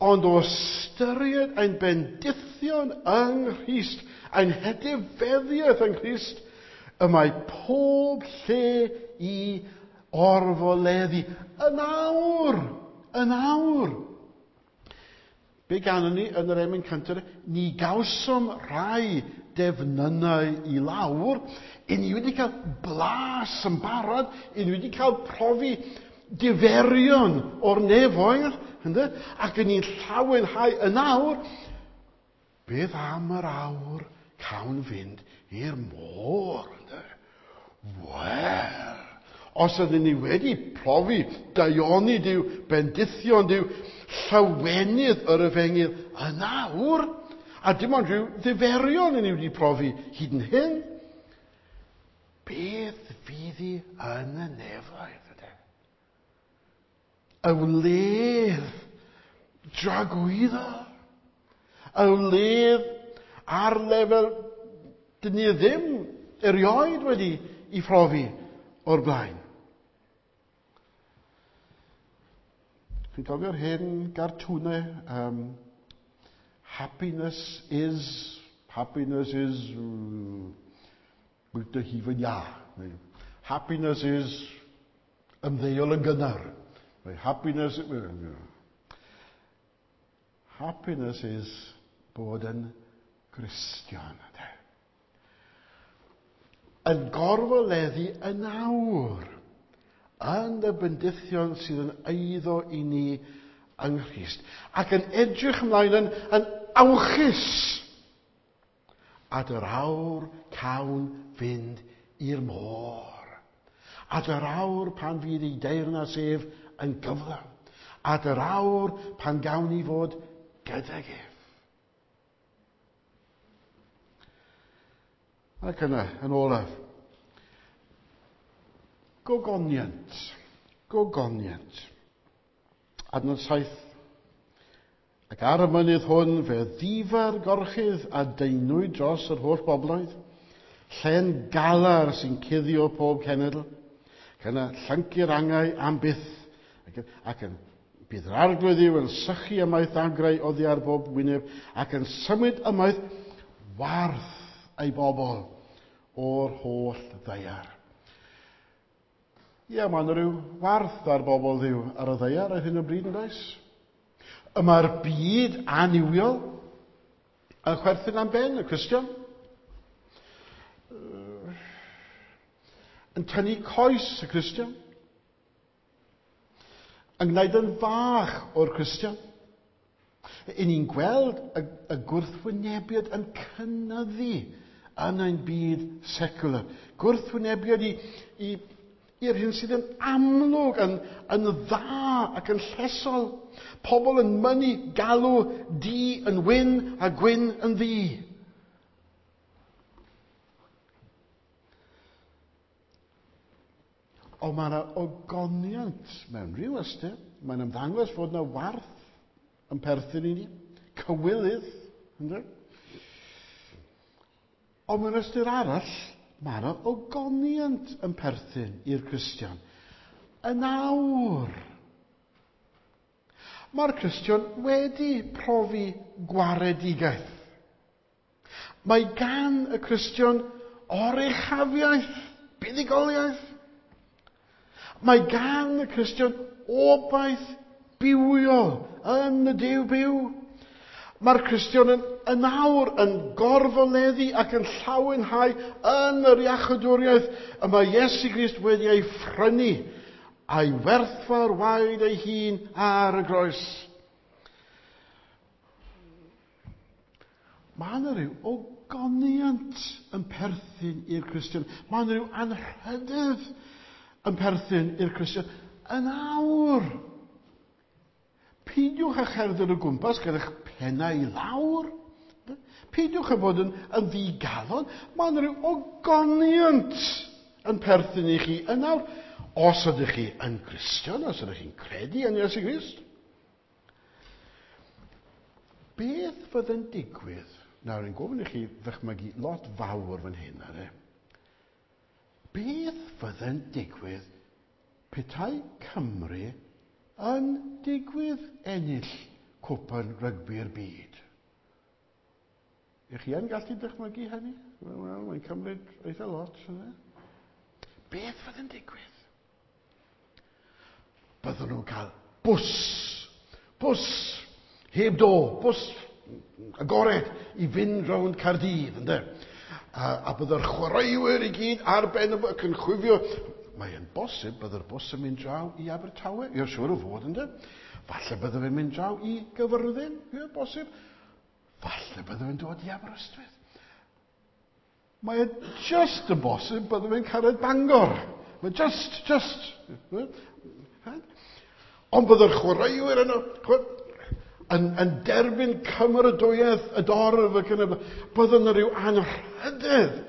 Ond o ystyried ein bendithion yng Nghrist, ein hetifeddiaeth yng Nghrist, y mae pob lle i orfoleddu. Yn awr! Yn awr! Be ganon ni yn yr emyn cyntaf? Ni gawsom rai defnynnau i lawr. I ni wedi cael blas yn barod. I ni wedi cael profi diferion o'r nefoedd. Ynde? Ac yn ni'n llawenhau yn awr. Beth am yr awr cawn fynd i'r môr? Ynde? Wel, os ydyn ni wedi profi daioni Duw, bendithion Duw, llawenydd yr efengyl yn awr, a dim ond rhyw ddiferion yn ni wedi profi hyd yn hyn, beth fydd hi yn y nefoedd? Yde? Y wledd dragwyddo, y wledd ar lefel dyn ni ddim erioed wedi i phrofi o'r blaen. Chi'n cofio'r hen gartwnau? Um, happiness is, happiness is, bwyta hufen iâ. Happiness is ymddeol yn gynnar. Happiness, happiness is bod yn Gristion. Yn gorfoleddu yn awr yn y bendithion sydd yn eiddo i ni yng Nghrist. Ac yn edrych ymlaen yn, yn awchus at yr awr cawn fynd i'r môr. At yr awr pan fydd ei deyrnas ef yn gyflawn. At yr awr pan gawn ni fod gydag ef. Ac yna, yn olaf, gogoniant. Gogoniant. Adnod saith. Ac ar y mynydd hwn fe ddifa'r gorchudd a deinwyd dros yr holl bobloedd, llen galar sy'n cuddio pob cenedl, ac yna llyncu'r angau am byth, ac, ac yn bydd yr arglwydd yw yn sychu ymaith dagrau oddi ar bob wyneb, ac yn symud ymaith warth ei bobl o'r holl ddaear. Ie, mae yna rhyw warth ar bobl Dduw ar y ddaear ar hyn o bryd, yn does? Y mae'r byd annuwiol yn chwerthin am ben y Cristion. Yn tynnu coes y Cristion. Yn gwneud yn fach o'r Cristion. I ni'n gweld y, y gwrthwynebiad yn cynyddu yn ein byd secular. Gwrthwynebiad i, i, i'r hyn sydd yn amlwg, yn, yn dda ac yn llesol. Pobl yn mynnu galw du yn wyn a gwyn yn ddu. Ond mae yna ogoniant mewn rhyw ystyr. Mae'n ymddangos fod yna warth yn perthyn i ni. Cywilydd. Ynddo? Ond mewn ystyr arall, mae yna ogoniant yn perthyn i'r Cristion. Yn awr, mae'r Cristion wedi profi gwaredigaeth. Mae gan y Cristion oruchafiaeth, buddugoliaeth. Mae gan y Cristion obaith bywiol yn y Duw byw. Mae'r Cristion yn, yn awr yn gorfoleddu ac yn llawenhau yn yr iachawdwriaeth y mae Iesu Grist wedi ei phrynu a'i werthfawr waed ei hun ar y groes. Mae yna rhyw ogoniant yn perthyn i'r Cristion. Mae yna rhyw anrhydedd yn perthyn i'r Cristion. Yn awr, peidiwch â cherdded o gwmpas gyda'ch pennau i lawr. Peidiwch â bod yn, yn ddigalon. Mae yna rhyw ogoniant yn perthyn i chi yn awr. Os ydych chi yn Gristion, os ydych chi'n credu yn Iesu Grist. Beth fydd yn digwydd? Nawr, yn gofyn i chi ddychmygu lot fawr fan hyn, ar e. Beth fydd yn digwydd petai Cymru yn digwydd ennill cwpan rygbi'r byd? Ych chi yn gallu dychmygu hynny? Wel, mae'n cymryd eitha lot. Yna. Beth fydd yn digwydd? Byddwn nhw'n cael bws, bws, heb do, bws agored i fynd rownd Caerdydd, ynde? A, a byddai'r chwaraewyr i gyd ar ben y ac yn chwifio. Mae'n bosib byddai'r bws yn mynd draw i Abertawe. Ie, siŵr o fod, ynde? Falle byddai fe'n mynd draw i Gyfyrddin. Ie, bosib. Falle byddai fe'n dod i Aberystwyth. Mae e just yn bosib byddai fe'n cyrraedd Bangor. Mae just, just. Ond byddai'r chwaraewyr yno yn, yn derbyn cymeradwyaeth y dorf ac yn y... Byddai yna rhyw anrhydedd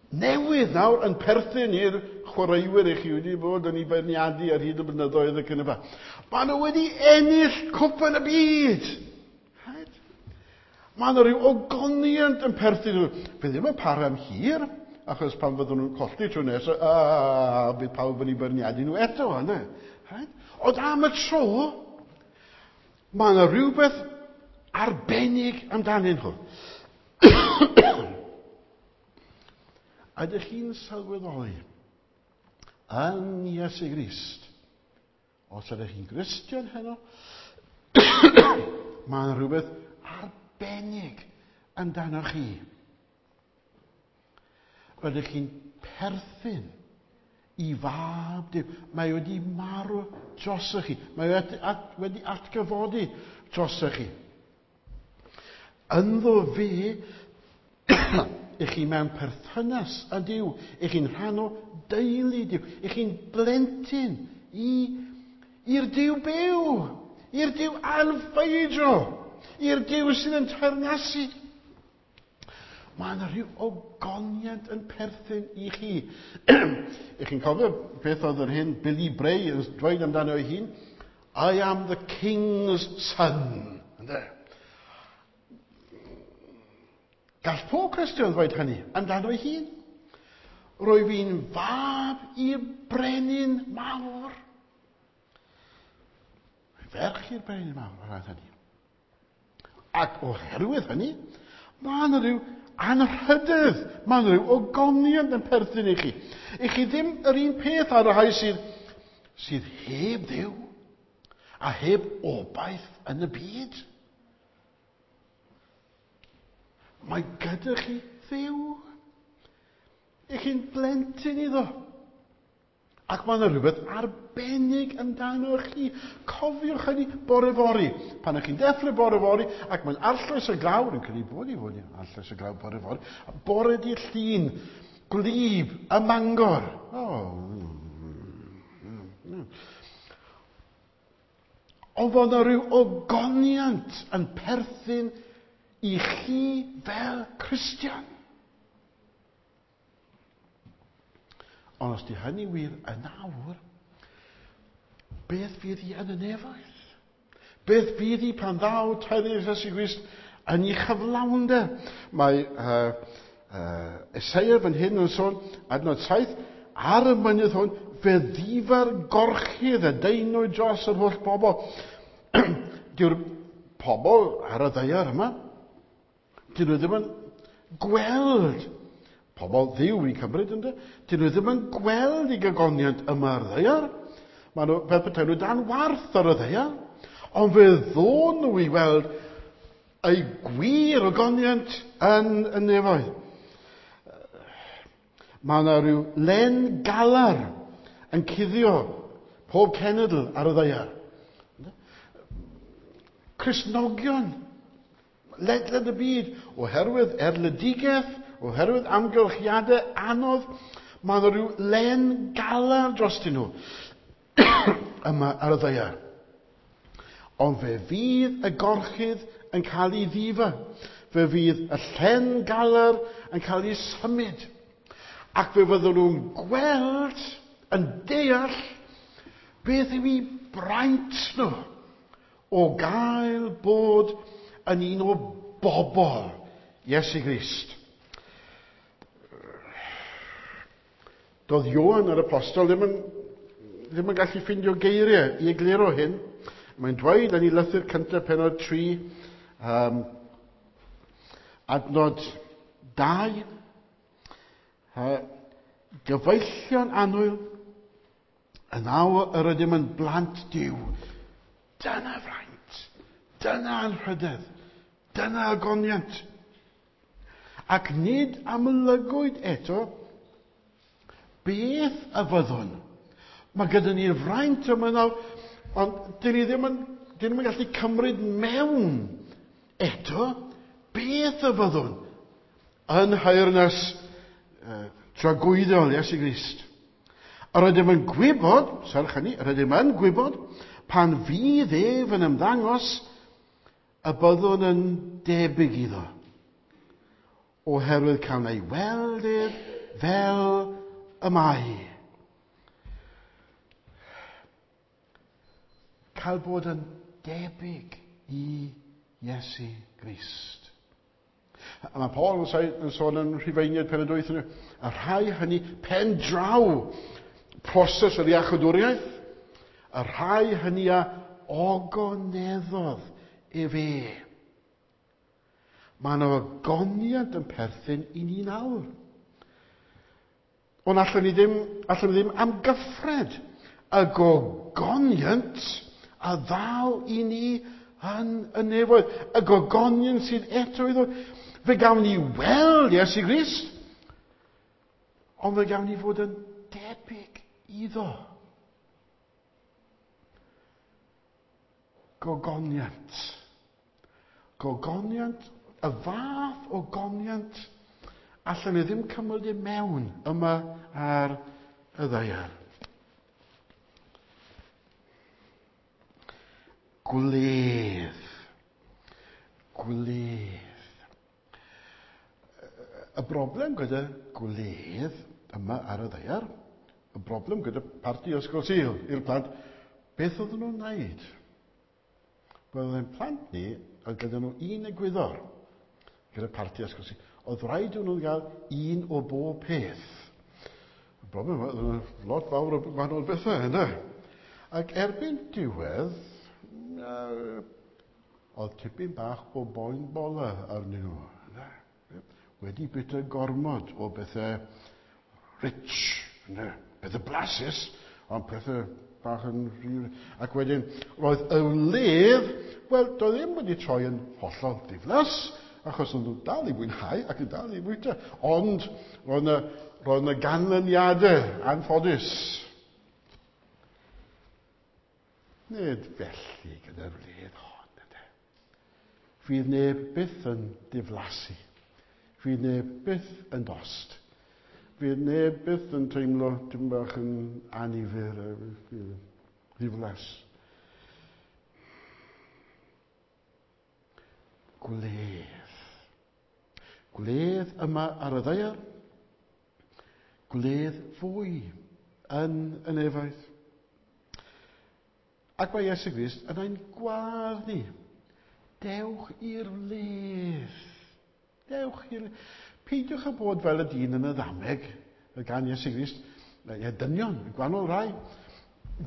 newydd nawr yn perthyn i'r chwaraewyr i chi wedi bod yn ei beirniadu ar hyd y blynyddoedd ac yn y blaen. Maen nhw wedi ennill cwpan y byd. Right? Mae yna rhyw ogoniant yn perthyn nhw. Fe ddim yn para am hir, achos pan fyddwn nhw'n colli tro nesaf, a bydd pawb yn ei beirniadu nhw eto. Yna. Right? Ond am y tro, Mae yna rhywbeth arbennig amdanyn nhw. Ydych chi'n sylweddoli yn Iesu Grist, os ydych chi'n Gristion heno, mae yna rhywbeth arbennig amdano chi. Rydych chi'n perthyn i fab Duw. Mae wedi marw drosoch chi. Mae wedi, at, wedi atgyfodi drosoch chi. Ynddo fe, i chi mewn perthynas â Duw, i chi'n rhan o deulu Duw, i chi'n blentyn i'r Duw byw, i'r Duw anffeidro, i'r Duw sydd yn teyrnasu. Mae yna rhyw ogoniant yn perthyn i chi. I chi'n cofio beth oedd yr hyn Billy Bray yn dweud amdano ei hun? I am the king's son. Ynde? Gall pob Cristion ddweud hynny amdano ei hun. Rwy fi'n fab i'r brenin mawr. Ferch i'r brenin mawr o ran hynny. Ac oherwydd hynny, mae yna rhyw anrhydedd, mae yna rhyw ogoniant yn perthyn i chi. I chi ddim yr un peth ar y rhai sydd, sydd heb Dduw a heb obaith yn y byd. Mae gyda chi Dduw. I chi'n blentyn iddo. Ac mae yna rhywbeth arbennig amdano chi. Cofiwch hynny bore fory. Pan ych chi'n deffro bore fory, ac mae'n arllwys y glaw, rwy'n credu bod i fod yn arllwys y glaw bore fory, bore dydd Llun, gwlyb, y Mangor. Oh. Ond fod yna rhyw ogoniant yn perthyn i chi fel Cristion. Ond os di hynny wir yn awr, beth fydd hi yn y nefoedd? Beth fydd hi pan ddaw teyrnas Iesu Grist yn ei chyflawnder? Mae uh, uh, Eseia fan hyn yn sôn, adnod saith, ar y mynydd hwn, fe ddifa'r gorchudd y deinwy dros yr holl bobl. Dyw'r pobl ar y ddaear yma, dyn nhw ddim yn gweld pobl Dduw i cymryd, ynddo? Dyn nhw ddim yn gweld i gogoniant yma ar ddaear. Maen nhw, fel petai nhw dan warth ar y ddaear. Ond fe ddôn nhw i weld ei gwir ogoniant yn y nefoedd. Mae yna rhyw len galar yn cuddio pob cenedl ar y ddaear. Cristnogion ledled y byd, oherwydd erledigaeth, oherwydd amgylchiadau anodd, mae yna rhyw len galar drostyn nhw yma ar y ddaear. Ond fe fydd y gorchudd yn cael ei ddifa. Fe fydd y llen galar yn cael ei symud. Ac fe fyddwn nhw'n gweld, yn deall, beth yw eu braint nhw o gael bod yn un o bobl Iesu Grist. Doedd Ioan yr apostol ddim yn, ddim yn gallu ffindio geiriau i egluro hyn. Mae'n dweud yn ei lythyr cyntaf pennod tri, um, adnod dau, uh, gyfeillion annwyl, yn awr yr ydym yn blant Duw. Dyna fraint, dyna anrhydedd, dyna ogoniant. Ac nid amlygwyd eto beth y fyddwn. Mae gyda ni'r fraint yma nawr, ond dyn ni ddim yn, dyn ni'm yn gallu cymryd mewn eto beth y fyddwn yn nheyrnas uh, tragwyddol Iesu Grist. Yr ydym yn gwybod, serch hynny, yr ydym yn gwybod, pan fydd ef yn ymddangos, y byddwn yn debyg iddo, oherwydd cael ei weld ef fel y mae. Cael bod yn debyg i Iesu Grist. A mae Paul yn sôn yn Rhufeiniaid pennod wyth, y rhai hynny pen draw proses yr iachawdwriaeth, y rhai hynny a ogoneddodd efe. Mae yna ogoniant yn perthyn i ni nawr. Ond allwn ni ddim, allwn ni ddim amgyffred y gogoniant a ddaw i ni yn y nefoedd. Y gogoniant sydd eto i ddod. Fe gawn ni weld Iesu Grist, ond fe gawn ni fod yn debyg iddo. Gogoniant. Gogoniant, y fath o goniant allan ni ddim cymryd i mewn yma ar y ddaear. Gwledd. Gwledd. Y broblem gyda gwledd yma ar y ddaear, y broblem gyda parti Ysgol Sul i'r plant, beth oedden nhw'n wneud? Wel, ein plant ni, oedd gyda nhw un egwyddor gyda parti Ysgol Sul. Oedd rhaid nhw gael un o bob peth. Y broblem oedd lot fawr o wahanol bethau, yna. Ac erbyn diwedd, oedd tipyn bach o boen bola arnyn nhw. Yna. Wedi bwyta gormod o bethau rich, yna. Pethau blasus, ond pethau bach yn rhy... Ac wedyn, roedd y wledd, wel, doedd ddim wedi troi yn hollol ddiflas, achos oedd nhw dal i fwynhau ac yn dal i fwyta. Ond roedd yna, roedd yna ganlyniadau anffodus. Nid felly gyda'r wledd hon, ydy. Fydd neb byth yn diflasu. Fydd neb byth yn dost. Fydd neb byth yn teimlo dim bach yn annifyr, ddiflas. Gwledd. Gwledd yma ar y ddaear. Gwledd fwy yn y nefoedd. Ac mae Iesu Grist yn ein gwadd ni. Dewch i'r wledd. Dewch i'r... Peidiwch â bod fel y dyn yn y ddameg, y gan Iesu Grist, y dynion, y gwahanol rai.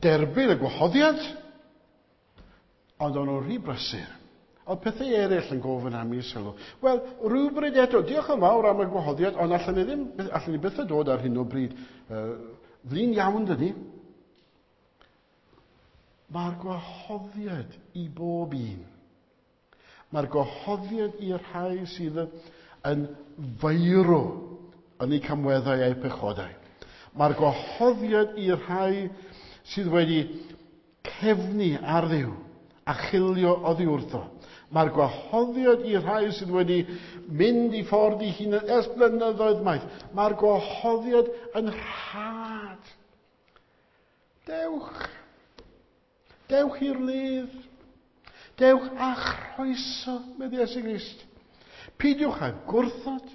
Derbyn y gwahoddiad, ond o'n nhw'n rhy brysur. Oedd pethau eraill yn gofyn am i sylw. Wel, rhywbryd eto, diolch yn fawr am y gwahoddiad, ond allan ni ddim, allan ni byth dod ar hyn o bryd. Uh, flin iawn, dyni. Mae'r gwahoddiad i bob un. Mae'r gwahoddiad i'r rhai sydd yn feirw yn eu camweddau a'u pechodau. Mae'r gwahoddiad i'r rhai sydd wedi cefnu ar Dduw a chilio oddi wrtho. Mae'r gwahoddiad i'r rhai sydd wedi mynd i ffordd i hunan ers blynyddoedd maith. Mae'r gwahoddiad yn rhad. Dewch. Dewch i'r wledd. Dewch a chroeso, medde Iesu Grist. Peidiwch â gwrthod.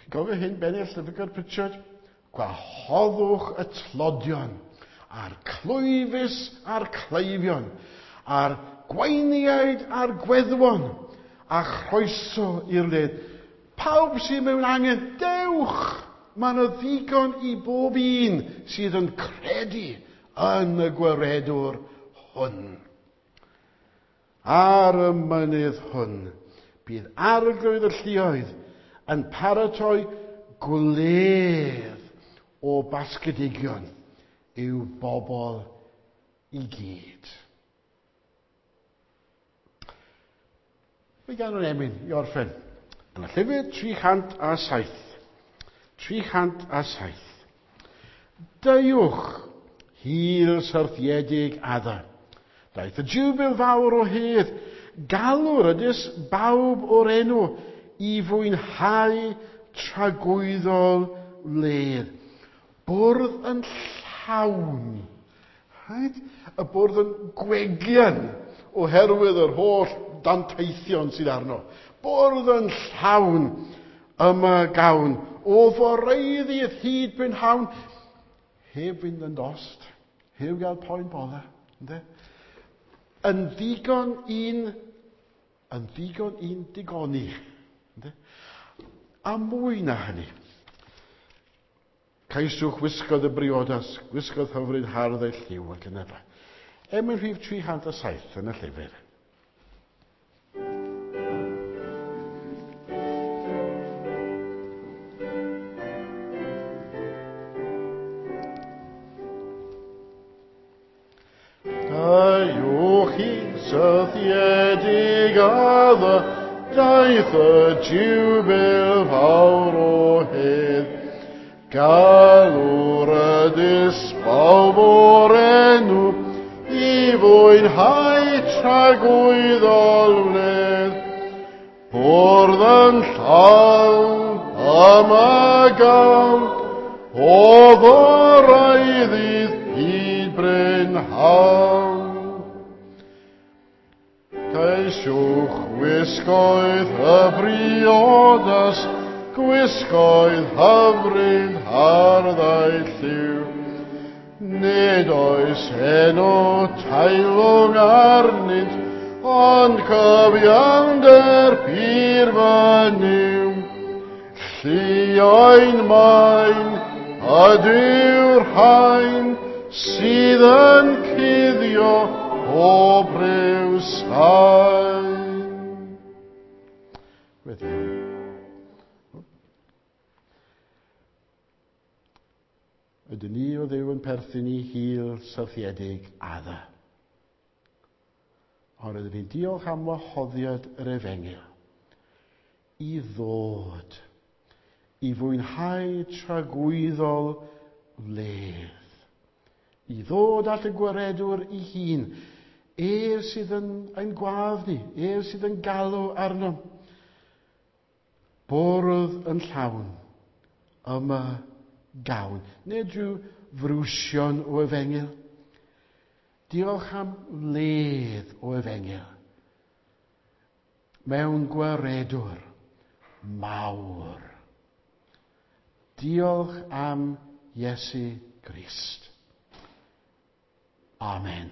Chi'n gofio hyn, bennill Llyfrgell Pritchard? Gwahoddwch y tlodion, a'r clwyfus a'r cleifion, a'r gweiniaid a'r gweddwon, a chroeso i'r wledd. Pawb sydd mewn angen, dewch! Mae yna ddigon i bob un sydd yn credu yn y gwaredwr hwn. Ar y mynydd hwn, bydd arglwydd y lluoedd yn paratoi gwledd o basgedigion i'w bobl i gyd. Fe ganwn emyn i orffen. Yn y llyfr tri chant a saith. tri chant a saith. Deuwch, hil syrthiedig Adda. Daeth y jiwbil fawr o hedd, galw'r ydys bawb o'r enw i fwynhau tragwyddol wledd. Bwrdd yn llawn. Right? Y bwrdd yn gwegian oherwydd yr holl danteithion sydd arno. Bwrdd yn llawn yma gawn. O foreiddiaeth hyd brynhawn. Heb fynd yn dost. Heb gael poen bola. Ynde? Yn ddigon un, yn ddigon un digoni. Ynde? A mwy na hynny. Ceisiwch wisgodd y briodas, gwisgodd hyfryd hardd ei lliw ac yn y blaen. Emyn rhif tri chant a saith yn y llyfr. Deuwch i sythiedig adda, daeth y jiwbil fawr o hedd. Galw'r ydys bawb o'r enw, i fwynhau tragwyddol wledd. Bwrdd yn llawn am y gawn, o ddorau ddydd hyd brynhawn. Ceisiwch wisgoedd y briodas, gwisgoedd hyfryd harddau lliw. Nid oes heno teilwng arnynt, ond cyfiawnder pur fynyw. Llioen main ydyw'r rhain sydd yn cuddio pob rhyw sain. Weddiwn. Ydyn ni o Dduw yn perthyn i hil syrthiedig adda. Ond ydyn ni'n diolch am wahoddiad yr efengyl i ddod, i fwynhau tragwyddol wledd, i ddod at y gwaredwr ei hun, ef sydd yn ein gwadd ni, ef sydd yn galw arnom. Bwrdd yn llawn, yma gawn. Nid rhyw frwsion o efengyl. Diolch am wledd o efengyl. Mewn gwaredwr mawr. Diolch am Iesu Grist. Amen.